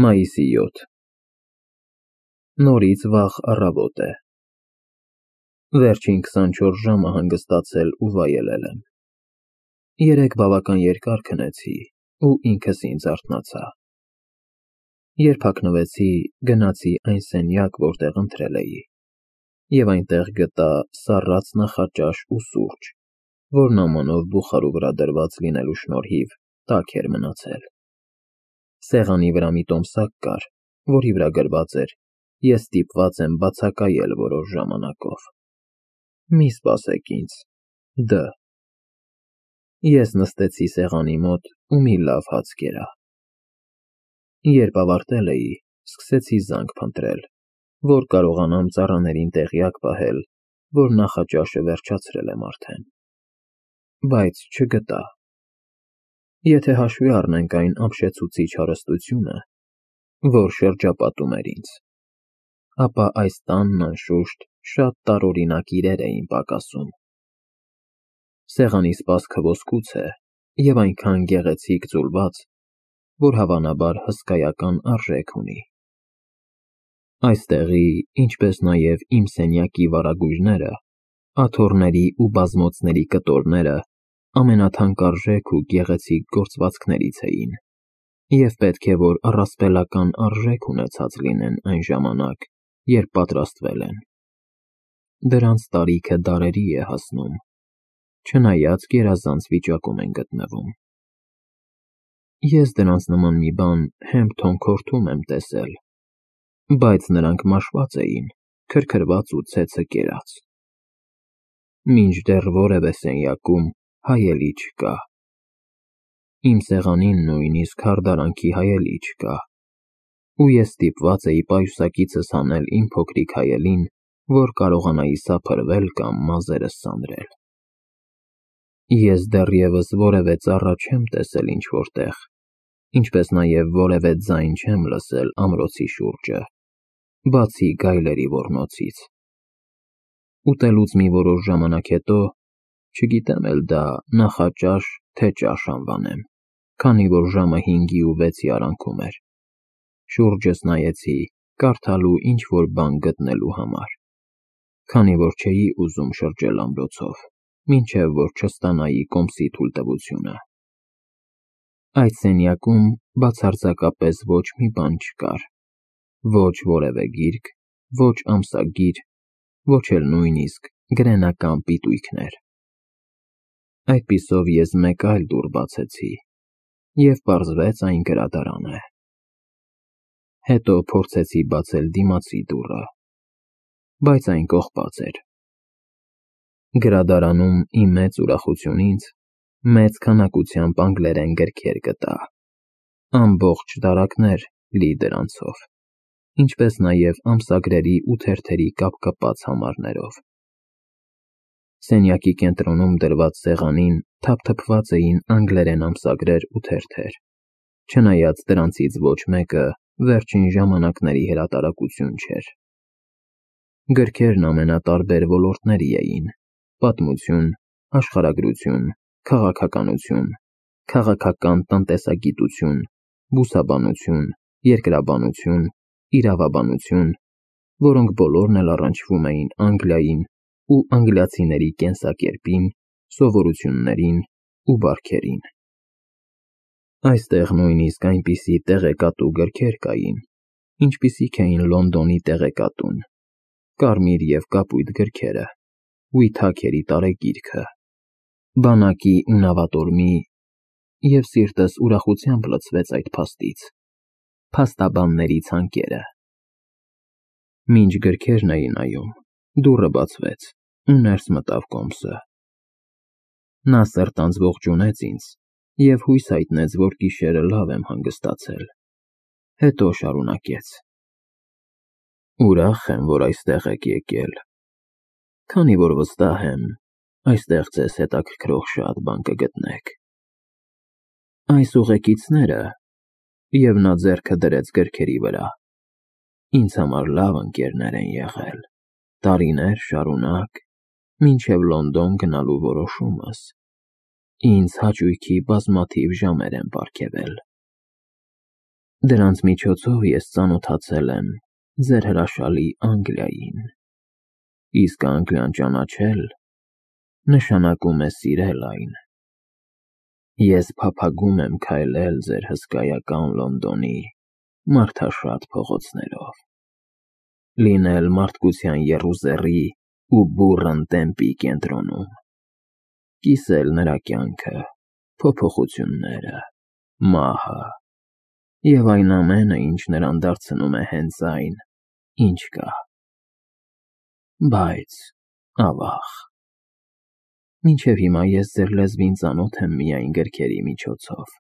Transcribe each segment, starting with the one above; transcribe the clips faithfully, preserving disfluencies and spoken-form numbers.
Մայիսի յոթ Նորից վաղ առավոտ է։ Վերջին քսանչորս ժամը հանգստացել ու վայելել եմ։ Երեկ բավական երկար քնեցի ու ինքս ինձ արթնացա։ Երբ հագնվեցի, գնացի այն սենյակ, որտեղ ընթրել էի, և այնտեղ գտա սառած նախաճաշ ու սուրճ, որն ամանով բուխարու վրա դրված լինելու շնորհիվ տաք էր մնացել։ Սեղանի վրա մի տոմսակ կար, որի վրա գրված էր. «Ես ստիպված եմ բացակայել որոշ ժամանակով։ Մի սպասեք ինձ, Դ.» Ես նստեցի սեղանի մոտ ու մի լավ հաց կերա։ Երբ ավարտել էի, սկսեցի զանգ փնտրել, որ կարողանամ ծառաներին տեղյակ պահել, որ նախաճաշը վերջացրել եմ արդեն, բայց չգտա։ Եթե հաշվի առնենք այն ապշեցուցիչ հարստությունը, որ շրջապատում էր ինձ, ապա այս տանն, անշուշտ, շատ տարօրինակ իրեր էին պակասում։ Սեղանի սպասքը ոսկուց է և այնքան գեղեցիկ ձուլված, որ հավանաբար հսկայական արժեք ունի։ Այստեղի, ինչպես նաև իմ սենյակի վարագույրները, աթոռների ու բազմոցների կտորները ամենաթանկարժեք ու գեղեցիկ գործվածքներից էին, և պետք է որ առասպելական արժեք ունեցած լինեն այն ժամանակ, երբ պատրաստվել են։ Դրանց տարիքը դարերի է հասնում, չնայած գերազանց վիճակում են գտնվում։ Ես դրանց նման մի բան հemp թոնքորդում եմ տեսել, բայց նրանք մաշված էին, քրքրված ու ցեցը կերած։ Մինչդեռ որևէ սենյակում հայելի չկա։ Իմ սեղանին նույնիսկ հարդարանքի հայելի չկա, ու ես ստիպված էի պայուսակիցս հանել իմ փոքրիկ հայելին, որ կարողանայի սափրվել կամ մազերս սանրել։ Ես դեռևս որևէ ծառա չեմ տեսել ինչ-որտեղ, ինչպես նաև որևէ ձայն չեմ լսել ամրոցի շուրջը, բացի գայլերի ոռնոցից։ Ուտելուց մի որոշ ժամանակ հետո, չգիտեմ էլ դա նախաճաշ, թե ճաշ անվանեմ, քանի որ ժամը հինգի ու վեցի արանքում էր, շուրջս նայեցի կարդալու ինչ-որ բան գտնելու համար, քանի որ չէի ուզում շրջել ամրոցով, մինչև որ չստանայի կոմսի թույլտվությունը։ Այդ սենյակում բացարձակապես ոչ մի բան չկար, ոչ որևէ գիրք, ոչ ամսագիր, ոչ էլ նույնիսկ գրենական պիտույքներ։ Այդպիսով ես մեկ այլ դուռ բացեցի, և պարզվեց այն գրադարան է։ Հետո փորձեցի բացել դիմացի դուռը, բայց այն կողպած էր։ Գրադարանում ի մեծ ուրախությունից մեծ քանակությամբ անգլերեն գրքեր գտա, ամբողջ դարակներ լի դրանցով, ինչպես նաև ամսագրերի ու թերթերի կապկպած համարներով։ Սենյակի կենտրոնում դրված սեղանին թափթփված էին անգլերեն ամսագրեր ու թերթեր, չնայած դրանցից ոչ մեկը վերջին ժամանակների հրատարակություն չէր։ Գրքերն ամենատարբեր ոլորտների էին՝ պատմություն, աշխարհագրություն, քաղաքականություն, քաղաքական տնտեսագիտություն, բուսաբանություն, երկրաբանություն, իրավաբանություն, որոնք բոլորն էլ առնչվում էին Անգլիային ու անգլիացիների կենսակերպին, սովորություններին ու բարքերին։ Այստեղ նույնիսկ այնպիսի տեղեկատու գրքեր կային, ինչպիսիք էին Լոնդոնի տեղեկատուն, կարմիր և կապույտ գրքերը, Ուիթաքերի տարեգիրքը, բանակի ու նավատորմի (և սիրտս ուրախությամբ լցվեց այդ փաստից) փաստաբանների ցանկերը։ Մինչ գրքերն էի նայում, դուռը բացվեց, ու ներս մտավ կոմսը։ Նա սրտանց ողջունեց ինձ և հույս հայտնեց, որ գիշերը լավ եմ հանգստացել, հետո շարունակեց. «Ուրախ եմ, որ այստեղ եք եկել, քանի որ վստահ եմ, այստեղ ձեզ հետաքրքրող շատ բան կգտնեք։ Այս ուղեկիցները (և նա ձեռքը դրեց գրքերի վրա) ինձ համար լավ ընկերներ են եղել տարիներ շարունակ, մինչև Լոնդոն գնալու որոշումս, ինձ հաճույքի բազմաթիվ ժամեր են պարգևել։ Դրանց միջոցով ես ծանոթացել եմ ձեր հրաշալի Անգլիային, իսկ Անգլիան ճանաչել նշանակում է սիրել այն։ Ես փափագում եմ քայլել ձեր հսկայական Լոնդոնի մարդաշատ փողոցներով, լինել մարդկության եռուզեռի ու բուռն տեմպի կենտրոնում, կիսել նրա կյանքը, փոփոխությունները, մահը և այն ամենը, ինչ նրան դարձնում է հենց այն, ինչ կա։ Բայց, ավաղ, մինչև հիմա ես ձեր լեզվին ծանոթ եմ միայն գրքերի միջոցով,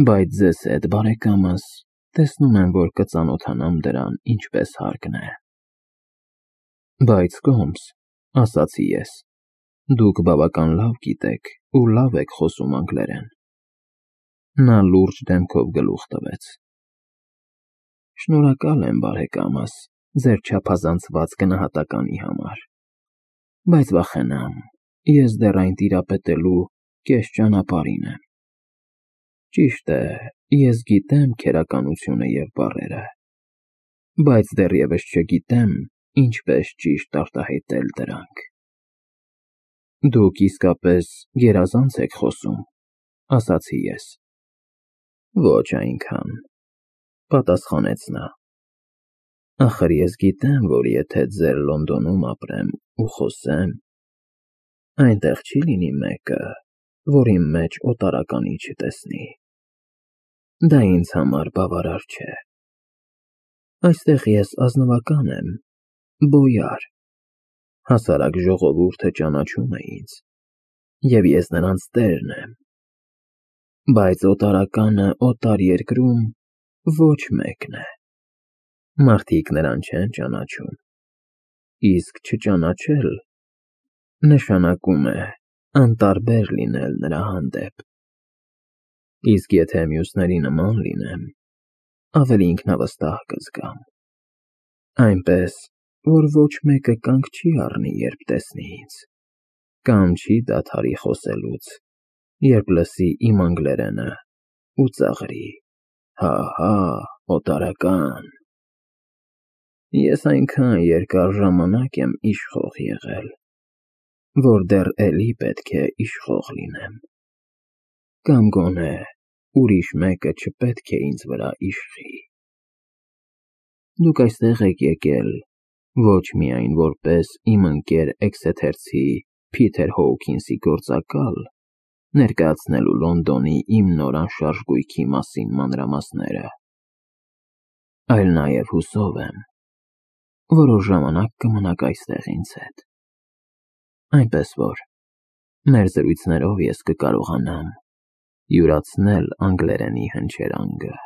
բայց ձեզ հետ, բարեկամս, տեսնում եմ, որ կծանոթանամ դրան ինչպես հարկն է։ Բայց Կոմս, ասացի ես, դուք բավական լավ գիտեք ու լավ եք խոսում անգլերեն։ Նա լուրջ դեմքով գլուխ տվեց։ Շնորհակալ եմ, բարեկամս, ձեր չափազանցված գնահատականի համար, բայց վախենամ, ես դեռ այն տիրապետելու կես ճանապարհին եմ։ Ճիշտ է, ես գիտեմ քերականությունը և բառերը, բայց դեռևս չգիտեմ ինչպես ճիշտ արտահայտել դրանք։ Դուք իսկապես գերազանց եք խոսում, ասացի ես։ Ոչ այնքան, պատասխանեց նա։ Ախր ես գիտեմ, որ եթե ձեր Լոնդոնում ապրեմ ու խոսեմ, այնտեղ չի լինի մեկը, որ իմ մեջ օտարականի չտեսնի։ Դա ինձ համար բավարար չէ։ Այստեղ ես ազնվական եմ, բոյար, հասարակ ժողովուրդը ճանաչում է ինձ, և ես նրանց տերն եմ, բայց օտարականը օտար երկրում ոչ մեկն է։ Մարդիկ նրան չեն ճանաչում, իսկ չճանաչել նշանակում է անտարբեր լինել նրա հանդեպ։ Իսկ եթե մյուսների նման լինեմ, ավելի ինքնավստահ կզգամ, այնպես, որ ոչ մեկը կանգ չի առնի, երբ տեսնի ինձ, կամ չի դադարի խոսելուց, երբ լսի իմ անգլերենը ու ծաղրի. «Հա՛, օտարական»։ Ես այնքան երկար ժամանակ եմ իշխող եղել, որ դեռ էլի պետք է իշխող լինեմ, կամ գոնե ուրիշ մեկը չպետք է ինձ վրա իշխի։ Դուք այստեղ եք եկել ոչ միայն որպես իմ ընկեր Էքսեթերցի Փիթեր Հոուքինսի գործակալ ներկայացնելու Լոնդոնի իմ նոր անշարժ գույքի մասին մանրամասները, այլ նաև հուսով եմ, որոշ ժամանակ կմնաք այստեղ ինձ հետ, այնպես որ մեր զրույցներով ես կկարողանամ յուրացնել անգլերենի հնչերանգը,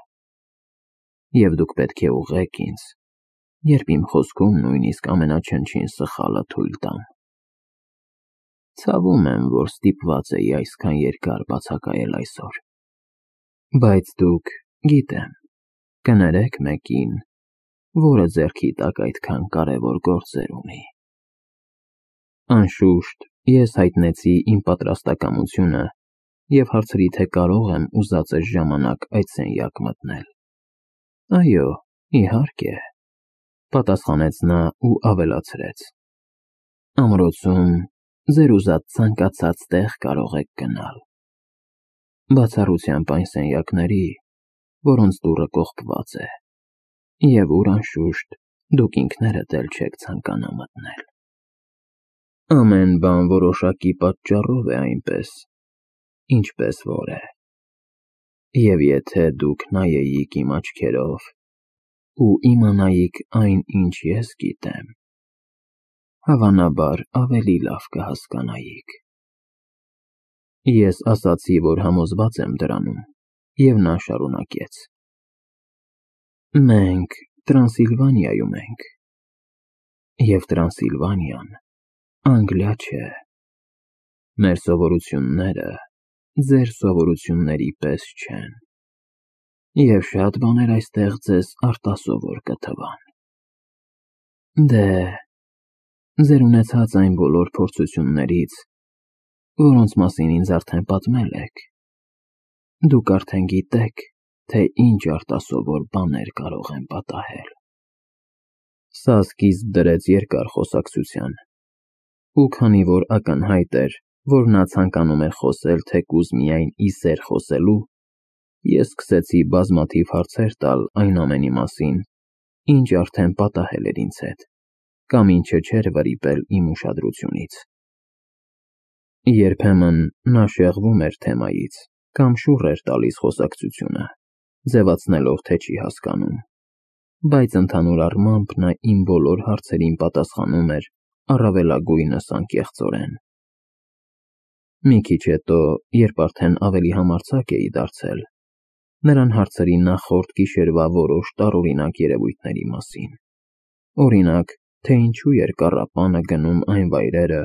և դուք պետք է ուղղեք ինձ, երբ իմ խոսքում նույնիսկ ամենաչնչին սխալը թույլ տամ։ Ցավում եմ, որ ստիպված էի այսքան երկար բացակայել այսօր, բայց դուք, գիտեմ, կներեք մեկին, որը ձեռքի տակ այդքան կարևոր գործեր ունի։ Անշուշտ, ես հայտնեցի իմ պատրաստակամությունը և հարցրի, թե կարող եմ ուզածս ժամանակ այդ սենյակ մտնել։ Այո, իհարկե, պատասխանեց նա ու ավելացրեց. Ամրոցում ձեր ուզած ցանկացած տեղ կարող եք գնալ, բացառությամբ այն սենյակների, որոնց դուռը կողպված է, և ուր, անշուշտ, դուք ինքներդ էլ չեք ցանկանա մտնել։ Ամեն բան որոշակի պատճառով է այնպես, ինչպես որ է, և եթե դուք նայեիք իմ աչքերով ու իմանայիք այն, ինչ ես գիտեմ, հավանաբար ավելի լավ կհասկանայիք։ Ես ասացի, որ համոզված եմ դրանում, և նա շարունակեց. Մենք Տրանսիլվանիայում ենք, և Տրանսիլվանիան Անգլիա չէ։ Մեր սովորությունները ձեր սովորությունների պես չեն, և շատ բաներ այստեղ ձեզ արտասովոր կթվան։ Դե, ձեր ունեցած այն բոլոր փորձություններից, որոնց մասին ինձ արդեն պատմել եք, դուք արդեն գիտեք, թե ինչ արտասովոր բաներ կարող են պատահել։ Սա սկիզբ դրեց երկար խոսակցության, ու քանի որ ակնհայտ էր, որ նա ցանկանում էր խոսել թեկուզ միայն ի սեր խոսելու, ես սկսեցի բազմաթիվ հարցեր տալ այն ամենի մասին, ինչ արդեն պատահել էր ինձ հետ, կամ ինչը չէր վրիպել իմ ուշադրությունից։ Երբեմն նա շեղվում էր թեմայից, կամ շուռ էր տալիս խոսակցությունը, ձևացնելով, թե չի հասկանում, բայց ընդհանուր առմամբ նա իմ բոլոր հարցերին պատասխանում էր առավելագույնս անկեղծորեն։ Մի քիչ հետո, երբ արդեն ավելի համարձակ էի դարձել, նրան հարցրի նախորդ գիշերվա որոշ տարօրինակ երևույթների մասին, օրինակ, թե ինչու էր կառապանը գնում այն վայրերը,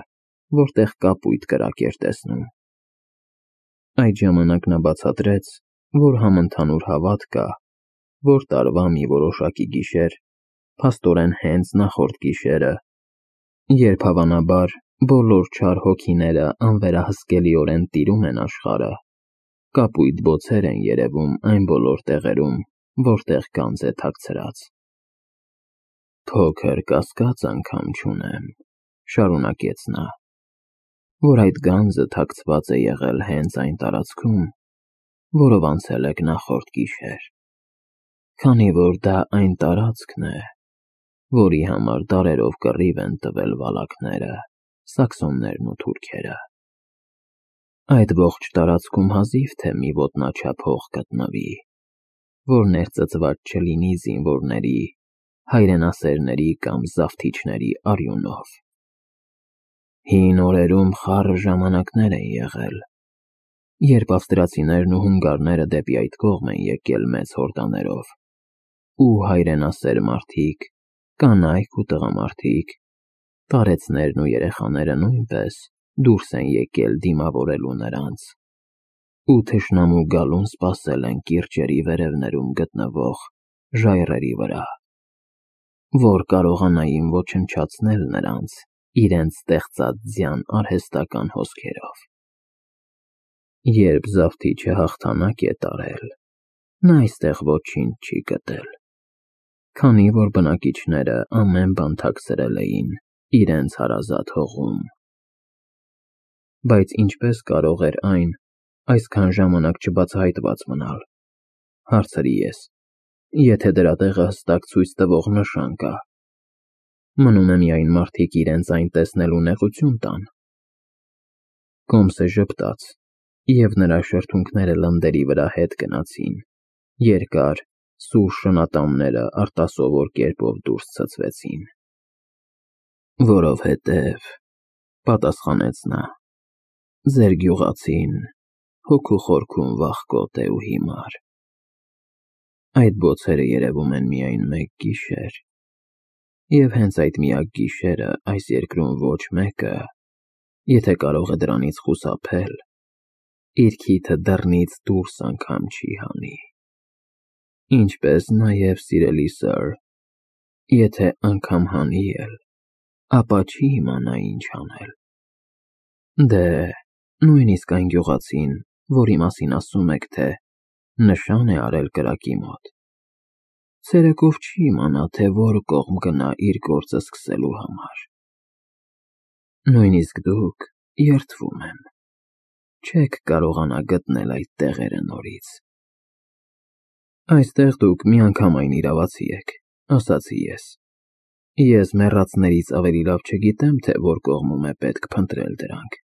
որտեղ կապույտ կրակ էր տեսնում։ Այդ ժամանակ նա բացատրեց, որ համընդհանուր հավատ կա, որ տարվա մի որոշակի գիշեր, փաստորեն հենց նախորդ գիշերը, երբ հավանաբար բոլոր չար հոգիները անվերահսկելիորեն տիրում են աշխարհը, կապույտ բոցեր են երևում այն բոլոր տեղերում, որտեղ գանձ է թաքցրած։ Փոքր կասկած անգամ չունեմ, շարունակեց նա, որ այդ գանձը թաքցված է եղել հենց այն տարածքում, որով անցել եք նախորդ գիշեր, քանի որ դա այն տարածքն է, որի համար դարերով կռիվ են տվել վալակները, սաքսոններն ու թուրքերը։ Այդ ողջ տարածքում հազիվ թե մի ոտնաչափ հող գտնվի, որ ներծծված չլինի զինվորների, հայրենասերների կամ զավթիչների արյունով։ Հին օրերում խառը ժամանակներ են եղել, երբ ավստրացիներն ու հունգարները դեպի այդ կողմ են եկել մեծ հորդաներով, ու հայրենասեր մարդիկ, կանայք ու տղամարդիկ, տարեցներն ու երեխաները նույնպես դուրս են եկել դիմավորելու նրանց, ու թշնամու գալուն սպասել են կիրճերի վերևներում գտնվող ժայռերի վրա, որ կարողանային ոչնչացնել նրանց իրենց ստեղծած ձյան արհեստական հոսքերով։ Երբ զավթիչը հաղթանակ է տարել, նա այստեղ ոչինչ չի գտել, քանի որ բնակիչները ամեն բան թաքցրել էին իրենց հարազատ հողում։ Բայց ինչպես կարող էր այն այսքան ժամանակ չբացահայտված մնալ, հարցրի ես, եթե դրա տեղը հստակ ցույց տվող նշան կա։ Մնում է միայն մարդիկ իրենց այն տեսնելու նեղություն տան։ Կոմսը ժպտաց, և նրա շրթունքները լնդերի վրա հետ գնացին, երկար, սուր շնատամները արտասովոր կերպով դուրս ցցվեցին։ Որովհետև, պատասխանեց նա, ձեր գյուղացին հոգու խորքում վախկոտ է ու հիմար։ Այդ բոցերը երևում են միայն մեկ գիշեր, և հենց այդ միակ գիշերը այս երկրում ոչ մեկը, եթե կարող է դրանից խուսափել, իր քիթը դռնից դուրս անգամ չի հանի։ Ինչպես նաև, սիրելի սըր, եթե անգամ հանի էլ, ապա չի իմանա ինչ անել։ Դե, նույնիսկ այն գյուղացին, որի մասին ասում եք, թե նշան է արել կրակի մոտ, ցերեկով չի իմանա, թե որ կողմ գնա իր գործը սկսելու համար։ Նույնիսկ դուք, երդվում եմ, չեք կարողանա գտնել այդ տեղերը նորից։ Այստեղ դուք միանգամայն իրավացի եք, ասացի ես։ Ես մեռածներից ավելի լավ չգիտեմ, թե որ կողմում է պետք փնտրել դրանք։